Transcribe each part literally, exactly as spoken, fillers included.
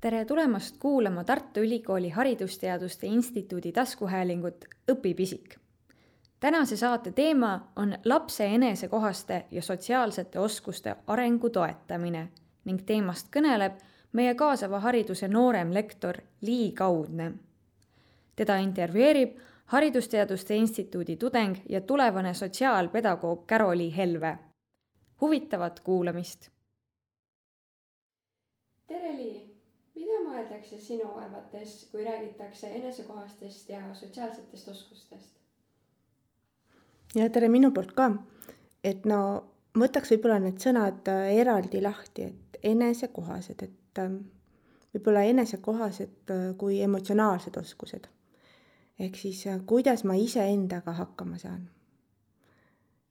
Tere tulemast kuulama Tartu Ülikooli Haridusteaduste Instituudi taskuhäälingut Õpipisik. Tänase saate teema on lapse enesekohaste ja sotsiaalsete oskuste arengu toetamine ning teemast kõneleb meie kaasava hariduse noorem lektor Lii Kaudne. Teda intervjueerib Haridusteaduste Instituudi tudeng ja tulevane sotsiaalpedagoog Karoli Helve. Huvitavat kuulamist! Tere Lii! Mida mõeldakse sinu arvates, kui räägitakse enesekohastest ja sotsiaalsetest oskustest? Ja tere minu poolt ka, et no võtaks võib-olla need sõnad eraldi lahti, et enesekohased, et võib-olla enesekohased kui emotsionaalsed oskused. Ehk siis, kuidas ma ise endaga hakkama saan.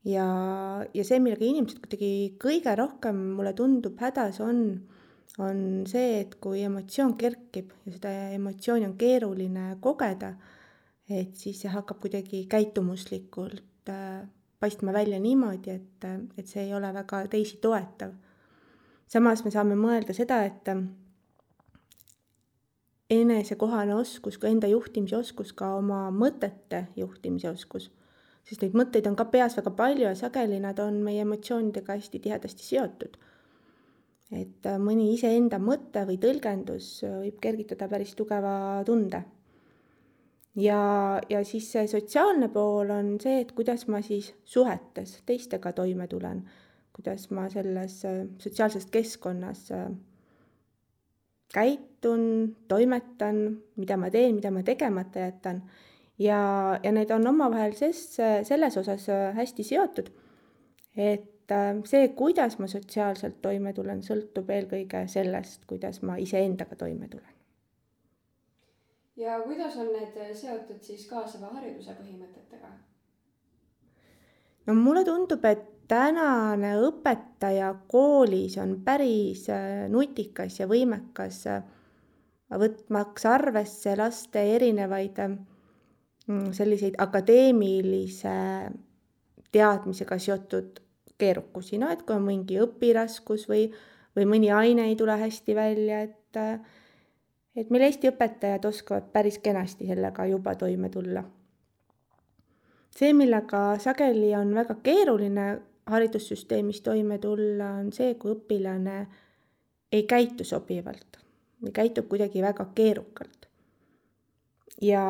Ja, ja see, millega inimesed kuidagi kõige rohkem mulle tundub hädas on, on see, et kui emotsioon kerkib ja seda emotsiooni on keeruline kogeda, et siis see hakkab kuidagi käitumuslikult paistma välja niimoodi, et, et see ei ole väga teisi toetav. Samas me saame mõelda seda, et enesekohane oskus, kui enda juhtimise oskus, ka oma mõtete juhtimise oskus, sest neid mõtteid on ka peas väga palju ja sageli nad on meie emotsioonidega hästi tihedasti seotud. Et mõni iseenda mõte või tõlgendus võib kergitada päris tugeva tunde. Ja, ja siis see sotsiaalne pool on see, et kuidas ma siis suhetes teistega toime tulen, kuidas ma selles sotsiaalses keskkonnas käitun, toimetan, mida ma teen, mida ma tegemata jätan. Ja, ja need on omavahel ses, selles osas hästi seotud, et see, kuidas ma sotsiaalselt toime tulen, sõltub eelkõige sellest, kuidas ma iseendaga toime tulen. Ja kuidas on need seotud siis kaasava hariduse põhimõtetega? No mulle tundub, et tänane õpetaja koolis on päris nutikas ja võimekas võtmaks arvesse laste erinevaid selliseid akadeemilise teadmisega seotud keerukusi, no et kui on mingi õpiraskus või, või mõni aine ei tule hästi välja, et, et meil Eesti õpetajad oskavad päris kenasti sellega juba toime tulla. See, millega sageli on väga keeruline haridussüsteemis toime tulla, on see, kui õpilane ei käitu sobivalt või käitub kuidagi väga keerukalt. Ja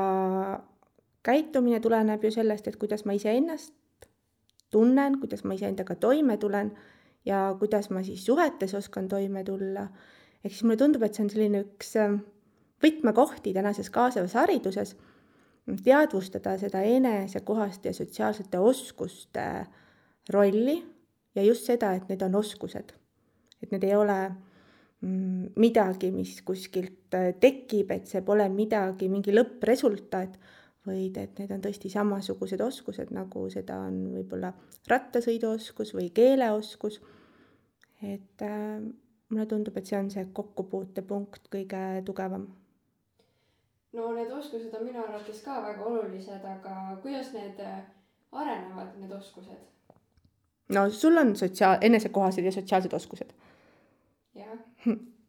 käitumine tuleneb ju sellest, et kuidas ma ise ennast tunnen, kuidas ma iseendaga toime tulen ja kuidas ma siis suhetes oskan toime tulla. Ehk siis mulle tundub, et see on selline üks võtmekohti tänases kaasavas hariduses, teadvustada seda enesekohaste ja sotsiaalsete oskuste rolli ja just seda, et need on oskused. Et need ei ole midagi, mis kuskilt tekib, et see pole midagi, mingi lõppresultaat, vaid et need on tõesti samasugused oskused, nagu seda on võib-olla rattasõiduoskus või keeleoskus. Et äh, mulle tundub, et see on see kokkupuutepunkt kõige tugevam. No need oskused on minu arvates ka väga olulised, aga kuidas need arenevad, need oskused? No sul on sotsiaal- enesekohased ja sotsiaalsed oskused. Jah.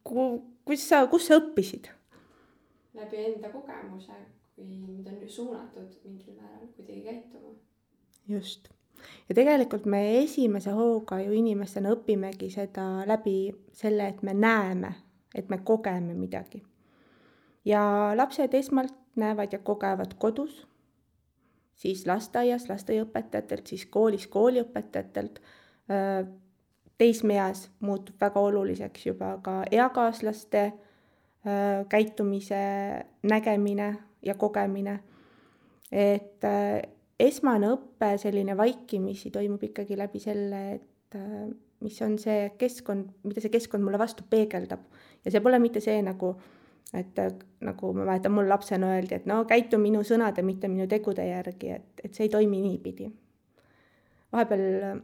Kus sa, kus sa õppisid? Läbi enda kogemuse, kui mind on suunatud mingil määral kuidagi käituma. Just. Ja tegelikult me esimese hooga ju inimestena õpimegi seda läbi selle, et me näeme, et me kogeme midagi. Ja lapsed esmalt näevad ja kogevad kodus, siis lasteaias lasteaiaõpetajatelt, siis koolis kooliõpetajatelt. Teismeas muutub väga oluliseks juba ka eakaaslaste käitumise nägemine ja kogemine. Et esmane õppe selline vaikimisi toimub ikkagi läbi selle, et mis on see keskkond, mida see keskkond mulle vastu peegeldab. Ja see pole mitte see nagu, et nagu ma mäletan, mul lapsena öeldi, et no käitu minu sõnade, mitte minu tegude järgi, et, et see ei toimi niipidi. Vahepeal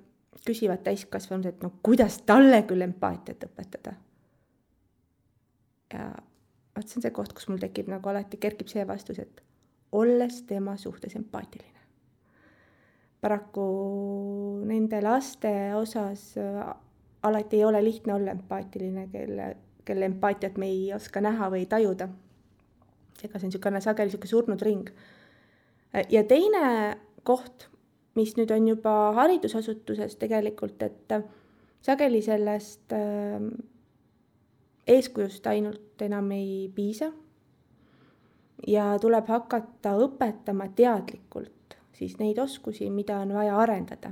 küsivad täiskasvanud, et no kuidas talle küll empaatiat õpetada. Ja vaat see on see koht, kus mul tekib nagu alati kerkib see vastus, et olles tema suhtes empaatiline. Paraku nende laste osas alati ei ole lihtne olla empaatiline, kelle kelle empaatiat me ei oska näha või tajuda. ega see on niisugune sageli niisugune surnud ring. Ja teine koht, mis nüüd on juba haridusasutuses tegelikult, et sageli sellest eeskujust ainult enam ei piisa ja tuleb hakata õpetama teadlikult siis neid oskusi, mida on vaja arendada.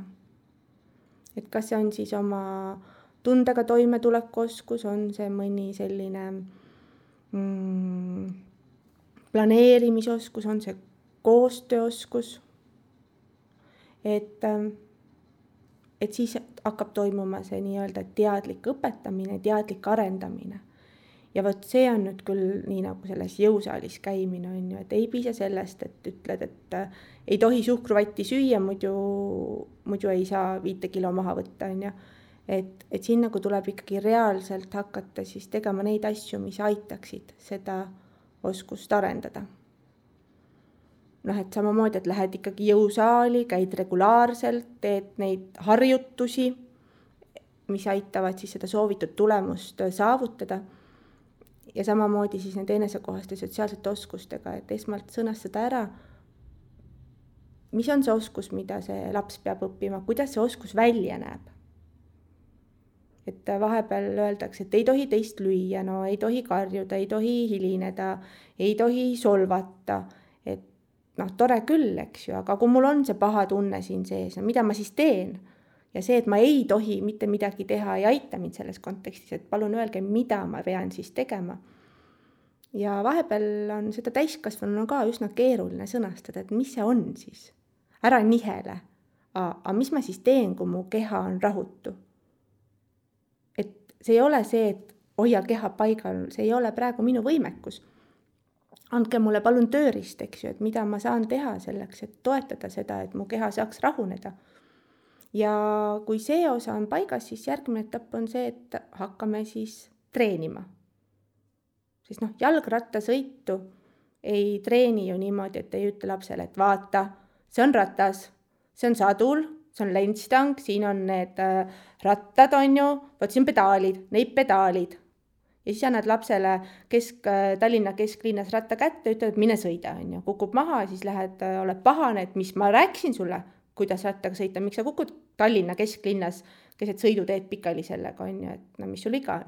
Et kas see on siis oma tundega toimetuleku oskus, on see mõni selline mm, planeerimisoskus, on see koostööoskus, et, et siis hakkab toimuma see nii-öelda teadlik õpetamine, teadlik arendamine. Ja võt see on nüüd küll nii nagu selles jõusaalis käimine on ju, et ei piisa sellest, et ütled, et ei tohi suhkruvatti süüa, muidu, muidu ei saa viite kilo maha võtta on ju. Et, et siin nagu tuleb ikkagi reaalselt hakata siis tegema neid asju, mis aitaksid seda oskust arendada. Noh, et samamoodi, et lähed ikkagi jõusaali, käid regulaarselt, teed neid harjutusi, mis aitavad siis seda soovitud tulemust saavutada. Ja samamoodi siis need enesekohaste sotsiaalsete oskustega, et esmalt sõnastada ära, mis on see oskus, mida see laps peab õppima, kuidas see oskus välja näeb. Et vahepeal öeldakse, et ei tohi teist lüüa, no ei tohi karjuda, ei tohi hilineda, ei tohi solvata. Et noh, tore küll, eks ju, aga kui mul on see paha tunne siin sees, no mida ma siis teen? Ja see, et ma ei tohi mitte midagi teha, ei aita mind selles kontekstis, et palun öelge, mida ma pean siis tegema. Ja vahepeal on seda täiskasvanuna ka üsna keeruline sõnastada, et mis see on siis. Ära nihele, aga mis ma siis teen, kui mu keha on rahutu? Et see ei ole see, et hoia keha paigal, see ei ole praegu minu võimekus. Andke mulle palun tööriist, eks ju, et mida ma saan teha selleks, et toetada seda, et mu keha saaks rahuneda. Ja kui see osa on paigas, siis järgmine etapp on see, et hakkame siis treenima. Siis noh, jalgrattasõitu ei treeni ju niimoodi, et ei ütle lapsele, et vaata, see on ratas, see on sadul, see on lentstang, siin on need rattad on ju, võt siin pedaalid, neid pedaalid. Ja siis annad lapsele kesk, Tallinna kesklinnas ratta kätte, ütled, et mine sõida, on ju. Kukub maha, siis lähed, oled pahane, et mis ma rääkisin sulle, kuidas rattaga sõita, miks sa kukud Tallinna kesklinnas, keset sõiduteed pikali sellega on ju, et no mis sul iga on.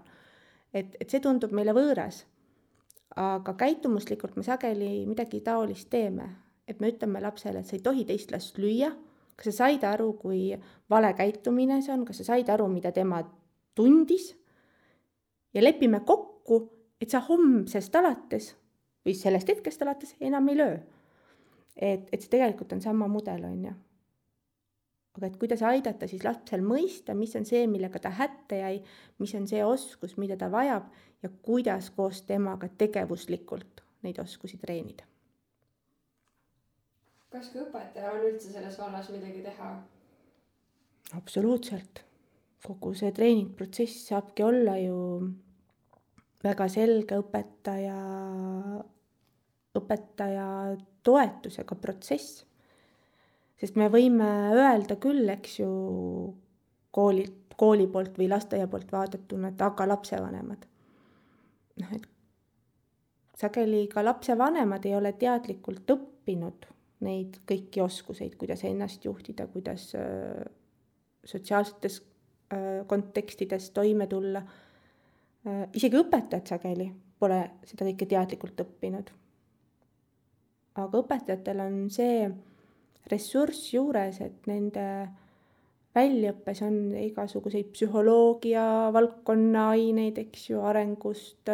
Et, et see tundub meile võõras, aga käitumuslikult me sageli midagi taolist teeme, et me ütleme lapsele, et sa ei tohi teist last lüüa, kas sa said aru, kui vale käitumine see on, kas sa said aru, mida tema tundis ja lepime kokku, et sa homsest alates või sellest hetkest alates enam ei löö. Et, et see tegelikult on sama mudel on ju. Aga et kuidas aidata siis lapsel mõista, mis on see, millega ta hätte jäi, mis on see oskus, mida ta vajab ja kuidas koos temaga tegevuslikult neid oskusi treenida. Kas ka õpetajal on üldse selles vallas midagi teha? Absoluutselt. Kogu see treeningprotsess saabki olla ju väga selge õpetaja, õpetaja toetusega protsess. Sest me võime öelda küll, eks ju, kooli, kooli poolt või lasteaia poolt vaadatuna, et aga lapsevanemad. noh, et sageli ka lapsevanemad ei ole teadlikult õppinud neid kõiki oskuseid, kuidas ennast juhtida, kuidas äh, sotsiaalsetes äh, kontekstides toime tulla. Äh, isegi õpetajad sageli pole seda kõike teadlikult õppinud. Aga õpetajatel on see ressurss juures, et nende väljaõppes on igasuguseid psühholoogia, valdkonna aineid, eks ju, arengust,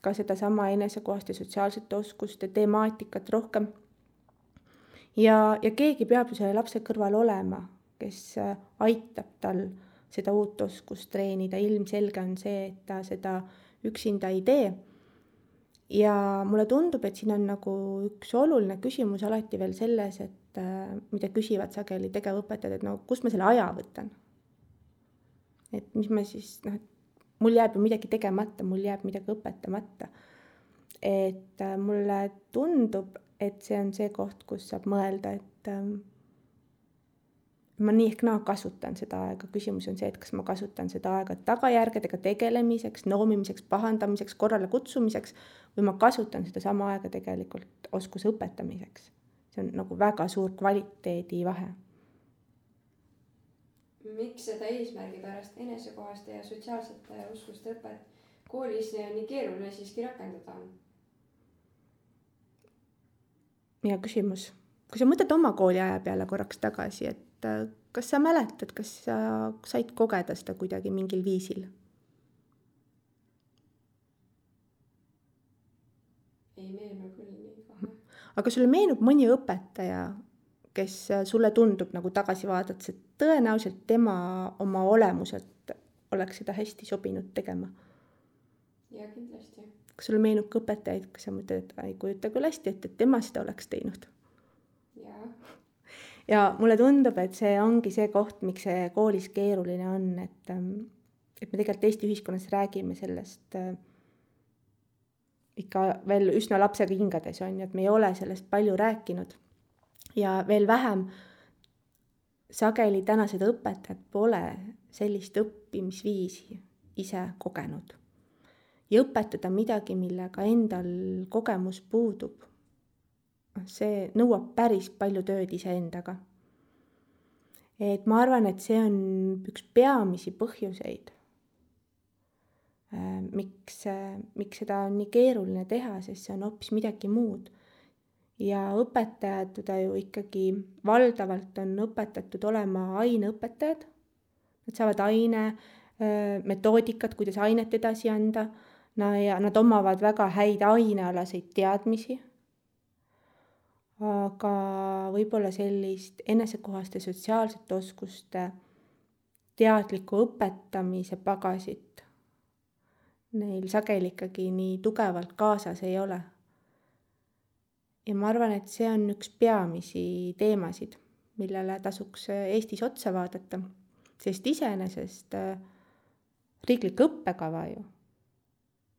ka seda sama enesekohaste sotsiaalsete oskuste temaatikat rohkem. Ja, ja keegi peab ju selle lapse kõrval olema, kes aitab tal seda uut oskust treenida. Ilmselge on see, et ta seda üksinda ei tee. Ja mulle tundub, et siin on nagu üks oluline küsimus alati veel selles, et mida küsivad sageli tegevõpetajad, et no kus ma selle aja võtan. Et mis ma siis, noh, mul jääb ju midagi tegemata, mul jääb midagi õpetamata. Et mulle tundub, et see on see koht, kus saab mõelda, et, ma nii ehk naa kasutan seda aega, küsimus on see, et kas ma kasutan seda aega tagajärgedega tegelemiseks, noomimiseks, pahandamiseks, korrale kutsumiseks või ma kasutan seda sama aega tegelikult oskuse õpetamiseks. See on nagu väga suur kvaliteedi vahe. Miks seda eesmärgi pärast enesekohaste ja sotsiaalsete oskuste õpet koolis nii keeruline siiski rakendada on? Ja küsimus. Kui sa mõtled oma kooliaja peale korraks tagasi, et kas sa mäletad, kas sa said kogeda seda kuidagi mingil viisil? Ei meenu küll nii kohe. Aga sulle meenub mõni õpetaja, kes sulle tundub nagu tagasi vaadates, et tõenäoliselt tema oma olemuselt oleks seda hästi sobinud tegema? Ja kindlasti. Kas sulle meenub ka õpetajaid, kas sa mõtled, et ei kujuta küll hästi, et, et tema seda oleks teinud? Ja. Ja mulle tundub, et see ongi see koht, miks see koolis keeruline on, et, et me tegelikult Eesti ühiskonnas räägime sellest äh, ikka veel üsna lapsega hingades on, et me ei ole sellest palju rääkinud ja veel vähem sageli tänased õpetajad pole sellist õppimisviisi ise kogenud. Ja õpetada midagi, millega endal kogemus puudub. See nõuab päris palju tööd iseendaga. Et ma arvan, et see on üks peamisi põhjuseid, miks, miks seda on nii keeruline teha, sest see on hoopis midagi muud. Ja õpetajad teda ju ikkagi valdavalt on õpetatud olema aineõpetajad. Nad saavad aine, metoodikat, kuidas ainet edasi anda. Ja nad omavad väga häid ainealaseid teadmisi, aga võib-olla sellist enesekohaste sotsiaalsete oskuste teadliku õpetamise pagasit neil sageli ikkagi nii tugevalt kaasas ei ole. Ja ma arvan, et see on üks peamisi teemasid, millele tasuks Eestis otsa vaadata, sest iseenesest riiklik õppekava ju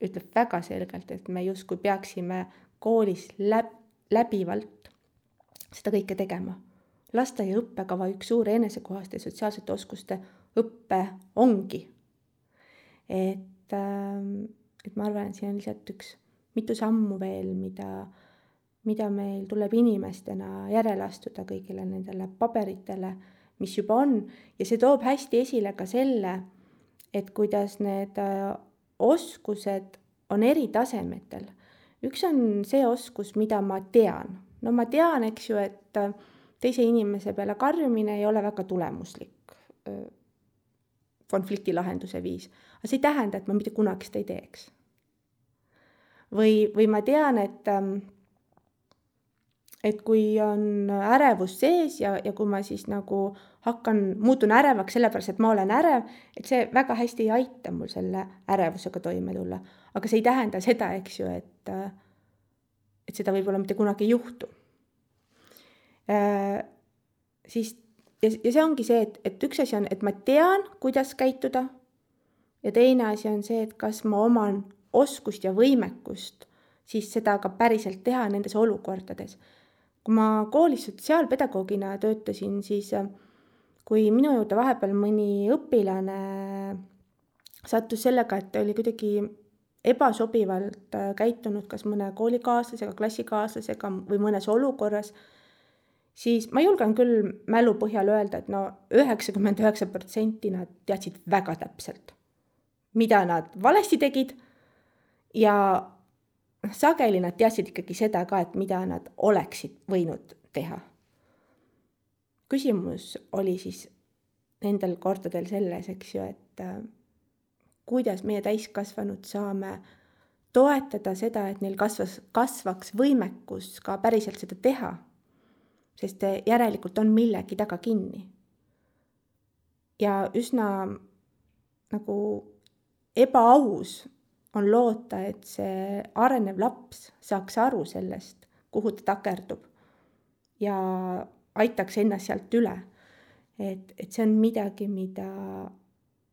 ütleb väga selgelt, et me justkui peaksime koolis läb, läbivalt seda kõike tegema. Lasteaia õppekava üks suur enesekohaste sotsiaalsete oskuste õppe ongi. Et, et ma arvan, et siin on lihtsalt üks mitu sammu veel, mida, mida meil tuleb inimestena järele astuda kõigile nendele paberitele, mis juba on. Ja see toob hästi esile ka selle, et kuidas need oskused on eri tasemetel. Üks on see oskus, mida ma tean. No ma tean, eks ju, et teise inimese peale karjumine ei ole väga tulemuslik konflikti lahenduse viis. Aga see ei tähenda, et ma mitte kunagi seda ei teeks. Või, või ma tean, et, et kui on ärevus sees ja, ja kui ma siis nagu hakkan, muutun ärevaks sellepärast, et ma olen ärev, et see väga hästi ei aita mul selle ärevusega toime tulla. Aga see ei tähenda seda, eks ju, et, et seda võib-olla mitte kunagi ei juhtu. Äh, siis, ja, ja see ongi see, et, et üks asi on, et ma tean, kuidas käituda. Ja teine asi on see, et kas ma oman oskust ja võimekust, siis seda ka päriselt teha nendes olukordades. Kui ma koolis sotsiaalpedagoogina töötasin, siis kui minu juurde vahepeal mõni õpilane sattus sellega, et oli kuidagi ebasobivalt käitunud kas mõne koolikaaslasega, klassikaaslasega või mõnes olukorras, siis ma julgen küll mälu põhjal öelda, et no üheksakümmend üheksa protsenti nad teadsid väga täpselt, mida nad valesti tegid ja sageli nad teadsid ikkagi seda ka, et mida nad oleksid võinud teha. Küsimus oli siis nendel kordadel selles, eks ju, et kuidas meie täiskasvanud saame toetada seda, et neil kasvas, kasvaks võimekus ka päriselt seda teha, sest järelikult on millegi taga kinni. Ja üsna nagu ebaaus on loota, et see arenev laps saaks aru sellest, kuhu ta takerdub ja aitaks ennast sealt üle. Et, et see on midagi, mida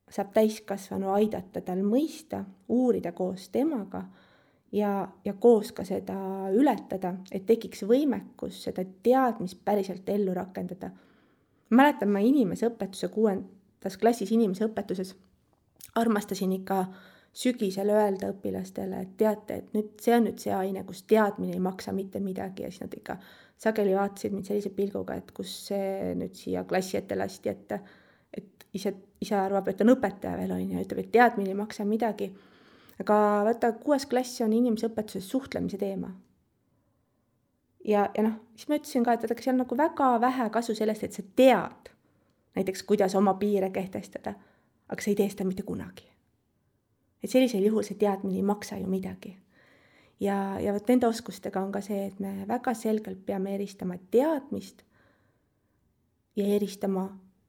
saab täiskasvanu aidata tal mõista, uurida koos temaga ja, ja koos ka seda ületada, et tekiks võimekus seda teadmist päriselt ellu rakendada. mäletan ma inimeseõpetuse kuuendas klassis inimeseõpetuses armastasin ikka sügisel öelda õpilastele, et teate, et nüüd see on nüüd see aine, kus teadmine ei maksa mitte midagi ja siis nad ikka sageli vaatasid mind sellise pilguga, et kus see nüüd siia klassi ette lasti, et, et ise, ise arvab, et on õpetaja veel on ja ütleb, et teadmine ei maksa midagi. Aga vaata, kuues klass on inimeseõpetuses suhtlemise teema. Ja, ja noh, siis ma ütlesin ka, et vaadake, seal on nagu väga vähe kasu sellest, et sa tead näiteks, kuidas oma piire kehtestada, aga sa ei tee seda mitte kunagi. Et sellisel juhul see teadmine ei maksa ju midagi. Ja, ja võt nende oskustega on ka see, et me väga selgelt peame eristama teadmist ja eristama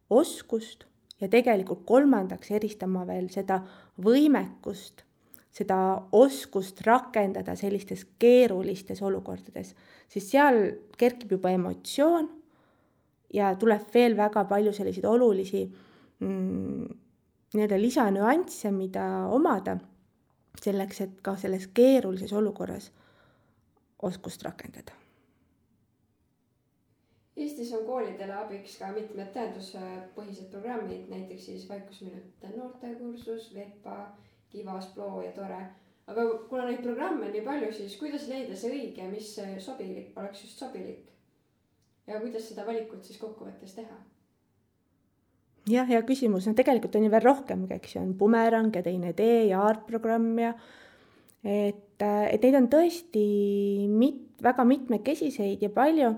oskust ja tegelikult kolmandaks eristama veel seda võimekust, seda oskust rakendada sellistes keerulistes olukordades, sest seal kerkib juba emotsioon ja tuleb veel väga palju selliseid olulisi mm, nii-öelda lisanüansse, mida omada selleks, et ka selles keerulises olukorras oskust rakendada. Eestis on koolidele abiks ka mitmed teaduspõhised programmid, näiteks siis vaikusminutite noortekursus, VEPA, Kivas, Ploo ja Tore. Aga kuna neid programme on nii palju, siis kuidas leida see õige, mis sobilik, oleks just sobilik? Ja kuidas seda valikut siis kokkuvõttes teha? Jah, hea küsimus. No, tegelikult on ju veel rohkem, eks on Bumerang ja teine tee ja aartprogramm ja et, et neid on tõesti mit, väga mitmekesiseid ja palju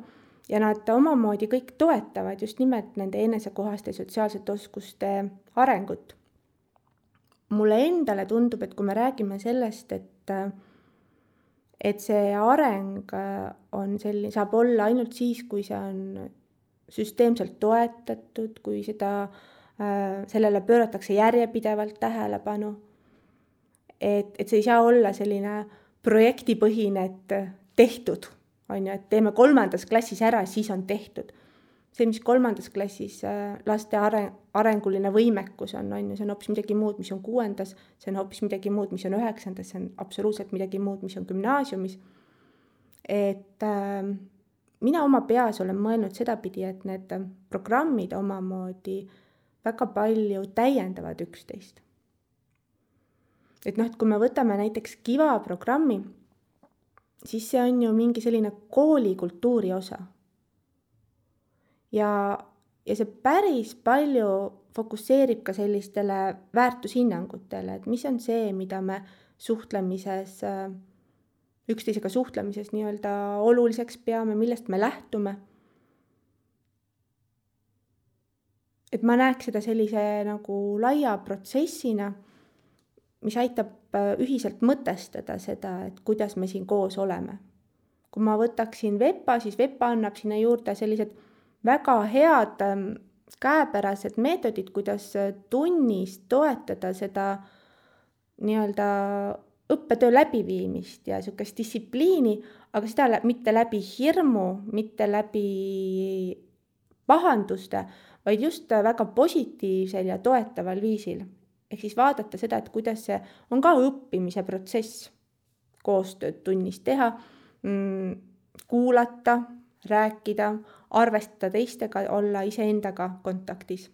ja nad omamoodi kõik toetavad just nimelt nende enesekohaste sotsiaalsete oskuste arengut. Mulle endale tundub, et kui me räägime sellest, et, et see areng on selline, saab olla ainult siis, kui see on süsteemselt toetatud, kui seda, sellele pööratakse järjepidevalt tähelepanu. Et, et see ei saa olla selline projektipõhine, et tehtud, on ju, et teeme kolmandas klassis ära, siis on tehtud. See, mis kolmandas klassis laste areng, arenguline võimekus on, on ju, see on hoopis midagi muud, mis on kuuendas, see on hoopis midagi muud, mis on üheksandas, see on absoluutselt midagi muud, mis on gümnaasiumis. Et äh, mina oma peas olen mõelnud sedapidi, et need programmid omamoodi väga palju täiendavad üksteist. Et noh, et kui me võtame näiteks Kiva programmi, siis see on ju mingi selline koolikultuuri osa. Ja, ja see päris palju fokusseerib ka sellistele väärtushinnangutele, et mis on see, mida me suhtlemises, üksteisega suhtlemises nii-öelda oluliseks peame, millest me lähtume. Et ma näeks seda sellise nagu laia protsessina, mis aitab ühiselt mõtestada seda, et kuidas me siin koos oleme. Kui ma võtaksin VEPA, siis VEPA annab sinna juurde sellised väga head käepärased meetodid, kuidas tunnis toetada seda nii-öelda õppetöö läbiviimist ja niisugust distsipliini, aga seda mitte läbi hirmu, mitte läbi pahanduste, vaid just väga positiivsel ja toetaval viisil. Ehk siis vaadata seda, et kuidas see on ka õppimise protsess, koostööd tunnis teha, kuulata, rääkida, arvestada teistega, olla iseendaga kontaktis.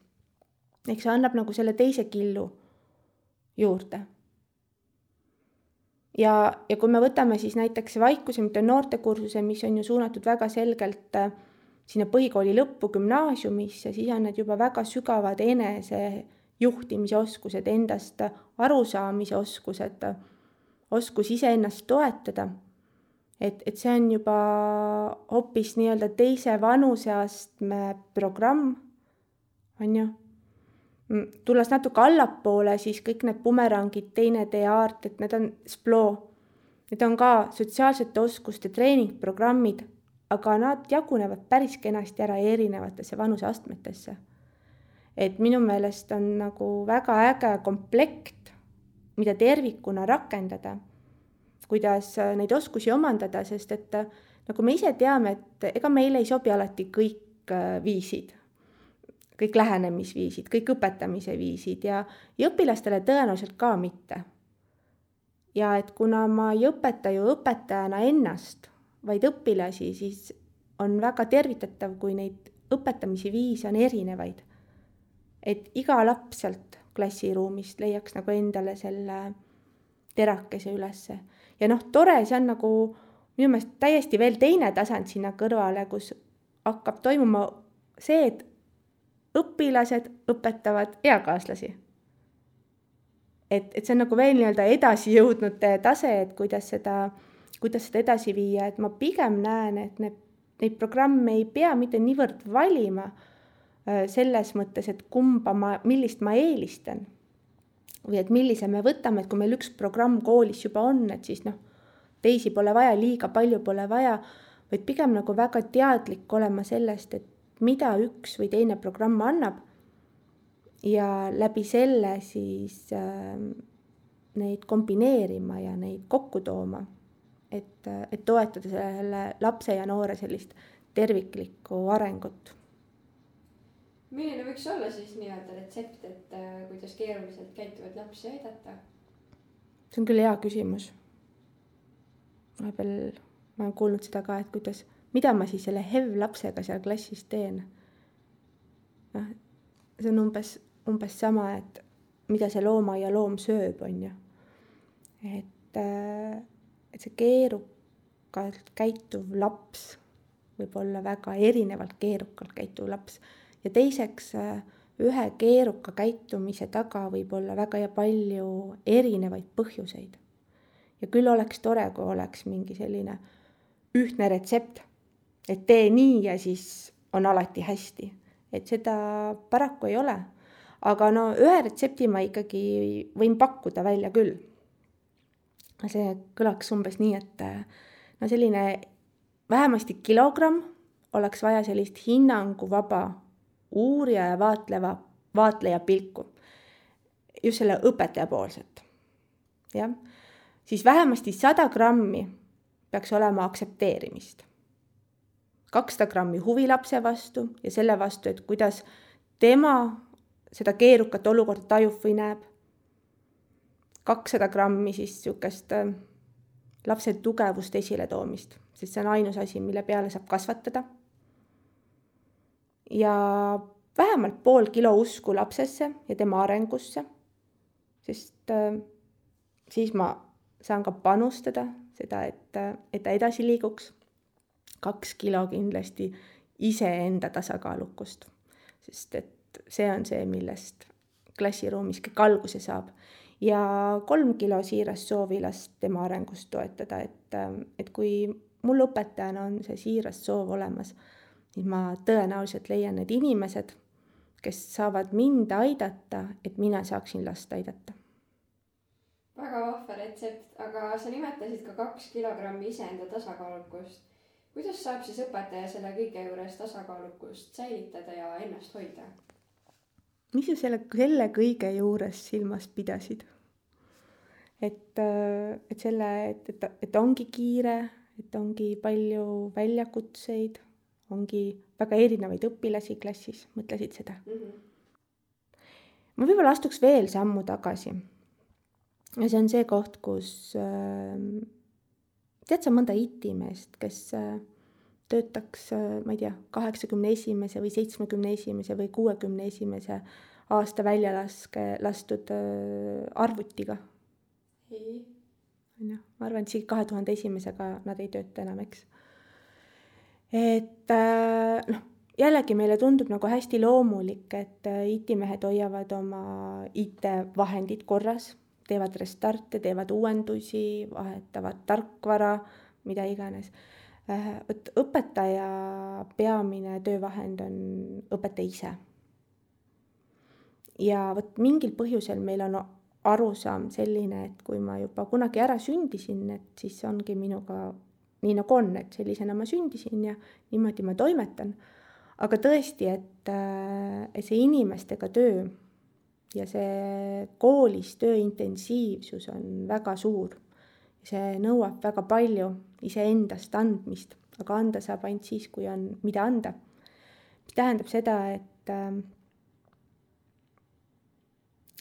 Ehk see annab nagu selle teise killu juurde. Ja, ja kui me võtame siis näiteks vaikuse, mitte noortekursuse, mis on ju suunatud väga selgelt sinna põhikooli lõppu gümnaasiumisse, siis on need juba väga sügavad enese juhtimise oskused, endast arusaamise oskused, oskus ise ennast toetada. Et, et see on juba hoopis nii-öelda teise vanuseastme programm, on ju. Tulles natuke allapoole, siis kõik need bumerangid, teine tee aart, et need on Sploo. Need on ka sotsiaalsete oskuste treeningprogrammid, aga nad jagunevad päris kenasti ära erinevatesse vanuseastmetesse. Et minu meelest on nagu väga äge komplekt, mida tervikuna rakendada, kuidas neid oskusi omandada, sest et nagu me ise teame, et ega meile ei sobi alati kõik viisid, kõik lähenemisviisid, kõik õpetamise viisid ja, ja õpilastele tõenäoliselt ka mitte. Ja et kuna ma ei õpeta ju õpetajana ennast, vaid õpilasi, siis on väga tervitatav, kui neid õpetamise viise on erinevaid. Et iga laps sealt klassiruumist leiaks nagu endale selle terakese ülesse. Ja noh, tore, see on nagu minu meelest täiesti veel teine tasand sinna kõrvale, kus hakkab toimuma see, et õpilased õpetavad eakaaslasi. Et, et see on nagu veel nii-öelda edasi jõudnud tase, et kuidas seda, kuidas seda edasi viia, et ma pigem näen, et need, neid programme ei pea mitte niivõrd valima selles mõttes, et kumba ma, millist ma eelistan või et millise me võtame, et kui meil üks programm koolis juba on, et siis noh, teisi pole vaja, liiga palju pole vaja, vaid pigem nagu väga teadlik olema sellest, et mida üks või teine programm annab ja läbi selle siis äh, neid kombineerima ja neid kokku tooma, et, et toetada selle lapse ja noore sellist terviklikku arengut. Milline võiks olla siis nii-öelda retsept, et äh, kuidas keeruliselt käituvad lapsi aidata? See on küll hea küsimus. Vahepeal ma olen kuulnud seda ka, et kuidas, mida ma siis selle H E V lapsega seal klassis teen. No, see on umbes, umbes sama, et mida see looma ja loom sööb, on ju. Et, äh, et see keerukalt käituv laps võib olla väga erinevalt keerukalt käituv laps. Ja teiseks, ühe keeruka käitumise taga võib olla väga ja palju erinevaid põhjuseid. Ja küll oleks tore, kui oleks mingi selline ühtne retsept, et tee nii ja siis on alati hästi. Et seda paraku ei ole. Aga no ühe retsepti ma ikkagi võin pakkuda välja küll. See kõlaks umbes nii, et no selline vähemasti kilogramm oleks vaja sellist hinnanguvaba uurija ja vaatleva, vaatleja pilku. Just selle õpetaja poolset. Ja? Siis vähemasti sada grammi peaks olema aktsepteerimist. kakssada grammi huvi lapse vastu ja selle vastu, et kuidas tema seda keerukat olukorda tajub või näeb. kakssada grammi siis sükest lapse tugevust esile toomist, sest see on ainus asi, mille peale saab kasvatada. Ja vähemalt pool kilo usku lapsesse ja tema arengusse, sest äh, siis ma saan ka panustada seda, et, et ta edasi liiguks. Kaks kilo kindlasti iseenda tasakaalukust, sest et see on see, millest klassiruumis kõik alguse saab. Ja kolm kilo siiras soovi last tema arengust toetada, et, et kui mul õpetajana on see siiras soov olemas, siis ma tõenäoliselt leian need inimesed, kes saavad mind aidata, et mina saaksin last aidata. Väga vahva retsept, aga sa nimetasid ka kaks kilogrammi iseenda tasakaalukust. Kuidas saab siis õpetaja selle kõige juures tasakaalukust säilitada ja ennast hoida? Mis sa selle, selle kõige juures silmas pidasid? Et, et selle, et, et, et ongi kiire, et ongi palju väljakutseid, ongi väga erinevaid õpilasi klassis, mõtlesid seda? Mm-hmm. Ma võib-olla astuks veel sammu tagasi. Ja see on see koht, kus äh, tead sa mõnda I T-meest, kes äh, töötaks, äh, ma ei tea, kaheksakümne esimese või seitsmekümne esimese või kuuekümne esimese aasta välja laske, lastud äh, arvutiga. Ei. Ja, ma arvan, et siin kahe tuhande esimesega nad ei tööta enam, eks. Et äh, noh, jällegi meile tundub nagu hästi loomulik, et äh, I T-mehed hoiavad oma I T-vahendid korras, teevad restarte, teevad uuendusi, vahetavad tarkvara, mida iganes. Äh, õpetaja peamine töövahend on õpetaja ise. Ja võt mingil põhjusel meil on arusaam selline, et kui ma juba kunagi ära sündisin, et siis ongi minuga nii nagu on, et sellisena ma sündisin ja niimoodi ma toimetan. Aga tõesti, et, et see inimestega töö ja see koolis töö intensiivsus on väga suur. See nõuab väga palju iseendast andmist, aga anda saab ainult siis, kui on mida anda. Mis tähendab seda, et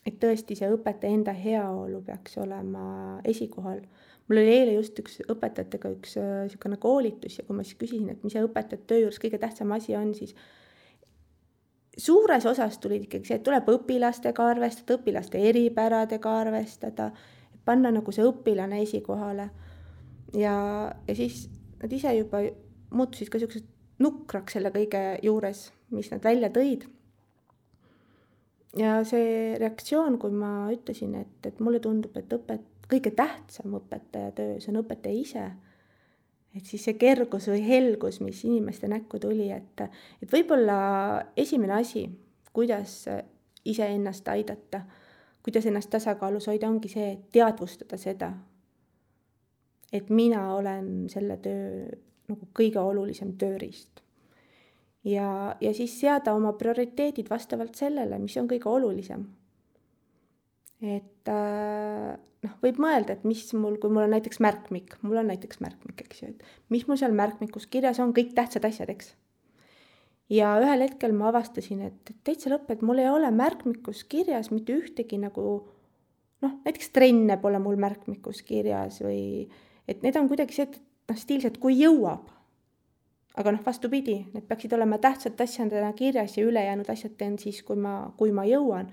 et tõesti see õpetaja enda heaolu peaks olema esikohal. Mul oli eile just üks õpetajatega üks niisugune koolitus ja kui ma siis küsisin, et mis see õpetajate töö juures kõige tähtsam asi on, siis suures osas tulid ikkagi see, et tuleb õpilastega arvestada, õpilaste eripäradega arvestada, panna nagu see õpilane esikohale. Ja, ja siis nad ise juba muutusid ka sellised nukraks selle kõige juures, mis nad välja tõid. Ja see reaktsioon, kui ma ütlesin, et, et mulle tundub, et õpet, kõige tähtsam õpetaja töös on õpetaja ise, et siis see kergus või helgus, mis inimeste näkku tuli, et, et võib-olla esimene asi, kuidas ise ennast aidata, kuidas ennast tasakaalus hoida, ongi see, et teadvustada seda, et mina olen selle töö nagu kõige olulisem tööriist. Ja, ja siis seada oma prioriteedid vastavalt sellele, mis on kõige olulisem. Et noh, võib mõelda, et mis mul, kui mul on näiteks märkmik, mul on näiteks märkmik, eks ju, et mis mul seal märkmikus kirjas on, kõik tähtsad asjad, eks. Ja ühel hetkel ma avastasin, et täitsa lõpp, et mul ei ole märkmikus kirjas mitte ühtegi nagu, noh, näiteks trenne pole mul märkmikus kirjas või et need on kuidagi see, et noh, stiilselt, kui jõuab. Aga noh, vastupidi, need peaksid olema tähtsad asjadena kirjas ja ülejäänud asjad teen siis, kui ma, kui ma jõuan.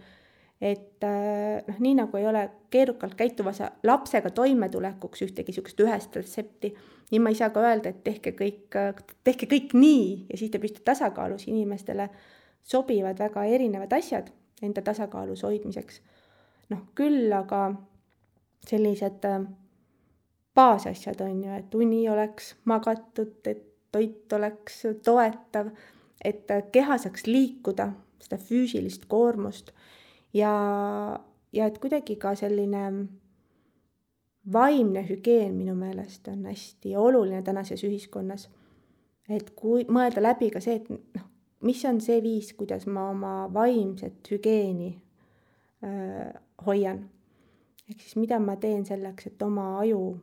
Et noh, nii nagu ei ole keerukalt käituvasa lapsega toimetulekuks ühtegi sükest ühest retsepti, nii ma ei saa ka öelda, et tehke kõik, tehke kõik nii ja siis te püsite tasakaalus. Inimestele sobivad väga erinevad asjad enda tasakaalus hoidmiseks. Noh, küll aga sellised baasasjad on ju, et uni oleks magatud, et toit oleks toetav, et keha saaks liikuda, seda füüsilist koormust ja, ja et kuidagi ka selline vaimne hügieen minu meelest on hästi oluline tänases ühiskonnas. Et kui mõelda läbi ka see, et noh, mis on see viis, kuidas ma oma vaimset hügeeni äh, hoian. Ehk siis mida ma teen selleks, et oma aju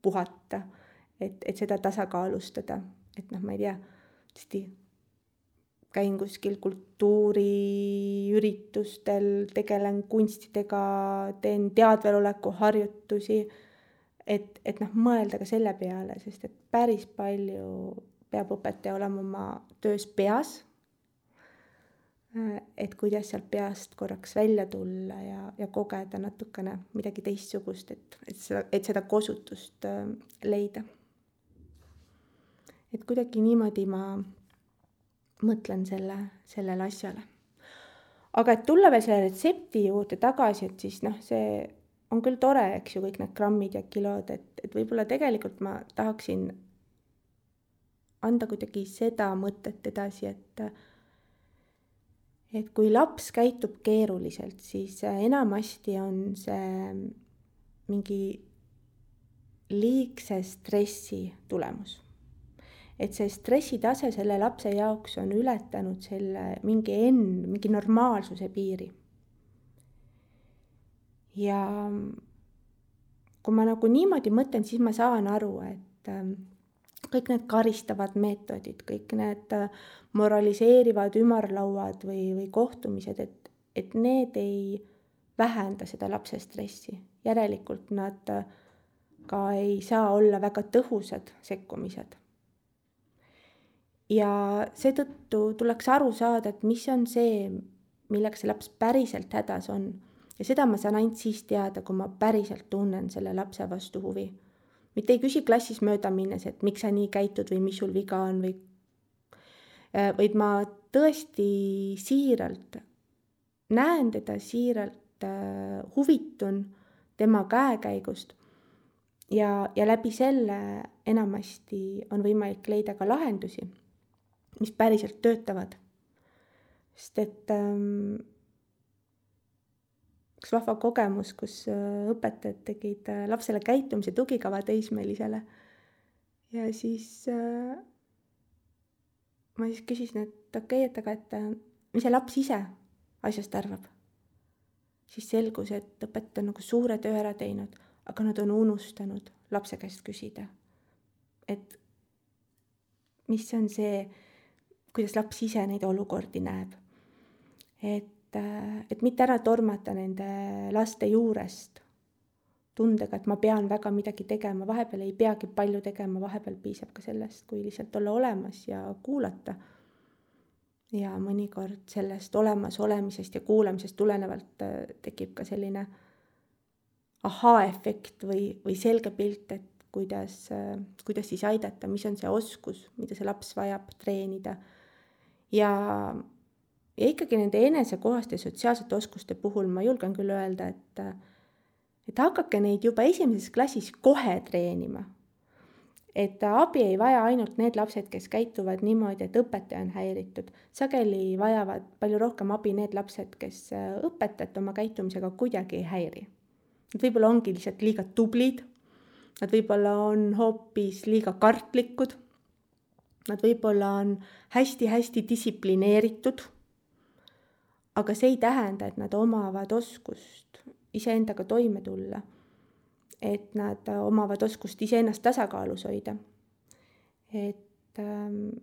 puhata, et, et seda tasakaalustada. Et noh, ma ei tea, tõesti käin kuskil kultuuriüritustel, tegelen kunstidega, teen teadveloleku harjutusi, et, et noh, mõelda ka selle peale, sest et päris palju peab õpetaja olema oma töös peas, et kuidas sealt peast korraks välja tulla ja, ja kogeda natukene midagi teistsugust, et, et, seda, et seda kosutust leida. Et kuidagi niimoodi ma mõtlen selle, sellele asjale. Aga et tulla veel selle retsepti juurde tagasi, et siis noh, see on küll tore, eks ju, kõik need grammid ja kilod, et, et võib-olla tegelikult ma tahaksin anda kuidagi seda mõtet edasi, et, et kui laps käitub keeruliselt, siis enamasti on see mingi liigse stressi tulemus. Et see stressitase selle lapse jaoks on ületanud selle mingi enn, mingi normaalsuse piiri. Ja kui ma nagu niimoodi mõtlen, siis ma saan aru, et kõik need karistavad meetodid, kõik need moraliseerivad ümarlauad või, või kohtumised, et, et need ei vähenda seda lapse stressi. Järelikult nad ka ei saa olla väga tõhusad sekkumised. Ja seetõttu tuleks aru saada, et mis on see, millega see laps päriselt hädas on. Ja seda ma saan ainult siis teada, kui ma päriselt tunnen selle lapse vastu huvi. Mitte ei küsi klassis mööda minnes, et miks sa nii käitud või mis sul viga on, või, vaid ma tõesti siiralt näen teda, siiralt huvitun tema käekäigust ja, ja läbi selle enamasti on võimalik leida ka lahendusi, mis päriselt töötavad. Sest et ähm, üks vahva kogemus, kus õpetajad tegid lapsele käitumise tugikava teismelisele. Ja siis äh, ma siis küsisin, et okei, et aga et mis see laps ise asjast arvab. Siis selgus, et õpetaja on nagu suure töö ära teinud, aga nad on unustanud lapse käest küsida. Et mis on see, kuidas laps ise neid olukordi näeb. Et, et mitte ära tormata nende laste juurest tundega, et ma pean väga midagi tegema, vahepeal ei peagi palju tegema, vahepeal piisab ka sellest, kui lihtsalt olla olemas ja kuulata. ja mõnikord sellest olemas olemisest ja kuulamisest tulenevalt tekib ka selline ahaa-efekt või, või selge pilt, et kuidas, kuidas siis aidata, mis on see oskus, mida see laps vajab treenida. Ja, ja ikkagi nende enesekohaste sotsiaalsete oskuste puhul ma julgen küll öelda, et, et hakake neid juba esimeses klassis kohe treenima. Et abi ei vaja ainult need lapsed, kes käituvad niimoodi, et õpetaja on häiritud. Sageli vajavad palju rohkem abi need lapsed, kes õpetajat oma käitumisega kuidagi ei häiri. Nad võib-olla ongi lihtsalt liiga tublid, nad võib-olla on hoopis liiga kartlikud, nad võib-olla on hästi-hästi distsiplineeritud, aga see ei tähenda, et nad omavad oskust iseendaga toime tulla, et nad omavad oskust iseennast tasakaalus hoida. Et ähm,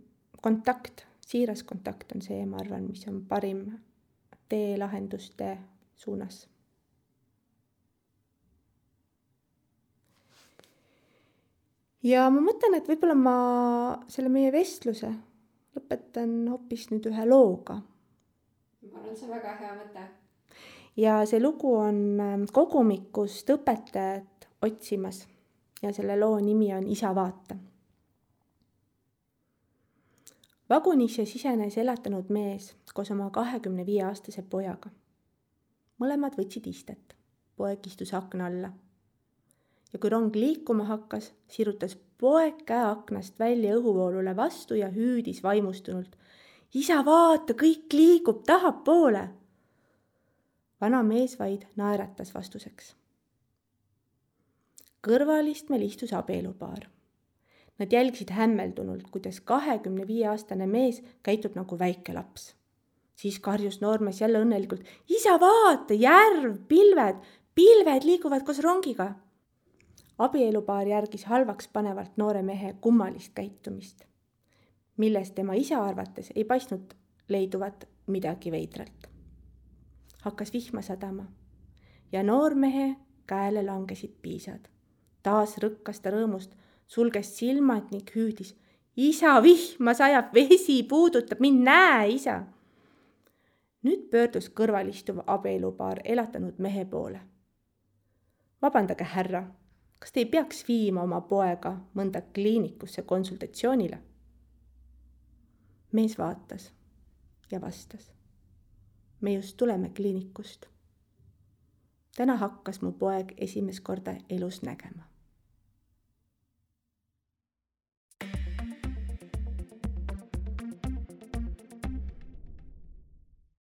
kontakt, siiras kontakt on see, ma arvan, mis on parim tee lahenduste suunas. Ja ma mõtlen, et võib-olla ma selle meie vestluse lõpetan hoopis nüüd ühe looga. Ma arvan, see on väga hea mõte. Ja see lugu on kogumikust õpetajat otsimas ja selle loo nimi on Isa vaata. Vagunisse sisenes elatanud mees koos oma kahekümne viie aastase pojaga. Mõlemad võtsid istet. Poeg istus akna alla. Ja kui rong liikuma hakkas, sirutas poeg käe aknast välja õhuvoolule vastu ja hüüdis vaimustunult. Isa vaata, kõik liigub tahapoole. Vana mees vaid naeratas vastuseks. Kõrvalistmel istus abielupaar. Nad jälgisid hämmeldunult, kuidas kahekümne viie aastane mees käitub nagu väike laps. Siis karjus noormees jälle õnnelikult. Isa vaata, järv, pilved, pilved liiguvad koos rongiga. Abielupaar järgis halvaks panevalt noore mehe kummalist käitumist, milles tema isa arvates ei paistnud leiduvat midagi veidralt. Hakkas vihma sadama ja noormehe käele langesid piisad. Taas rõkkas ta rõõmust, sulges silmad ning hüüdis. Isa, vihma sajab, vesi puudutab, mind näe, isa. Nüüd pöördus kõrvalistuv abielupaar elatanud mehe poole. Vabandage, härra. Kas te ei peaks viima oma poega mõnda kliinikusse konsultatsioonile? Mees vaatas ja vastas. Me just tuleme kliinikust. Täna hakkas mu poeg esimest korda elus nägema.